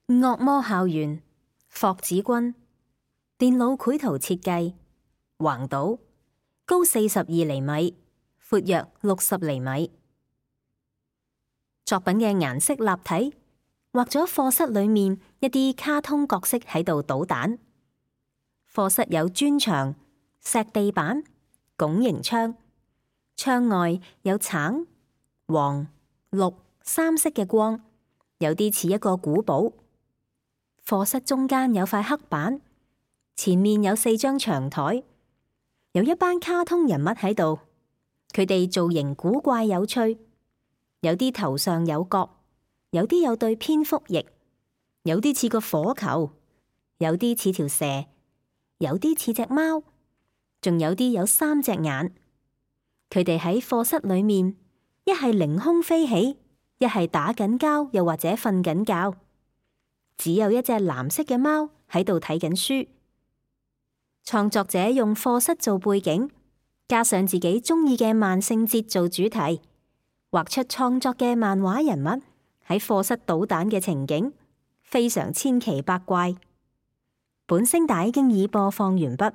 惡魔校園，霍子君，電腦繪圖設計，橫島，高42厘米，闊約60厘米。作品嘅顏色立體，畫咗課室裏面一啲卡通角色喺度搗蛋。課室有磚牆、石地板、拱形窗，窗外有橙、黃、綠三色嘅光，有啲似一個古堡。課室中間有塊黑板，前面有4張長台，有一班卡通人物喺度，佢哋造型古怪有趣，有啲頭上有角，有啲有對蝙蝠翼，有啲似個火球，有啲似條蛇，有啲似隻貓，仲有啲有3隻眼。佢哋喺課室裏面，一係凌空飛起，一係打緊交，又或者瞓緊覺。只有一隻藍色嘅貓喺度睇緊書。創作者用課室做背景，加上自己中意嘅萬聖節做主題，畫出創作嘅漫畫人物喺課室搗蛋嘅情景，非常千奇百怪。本聲帶經已播放完畢。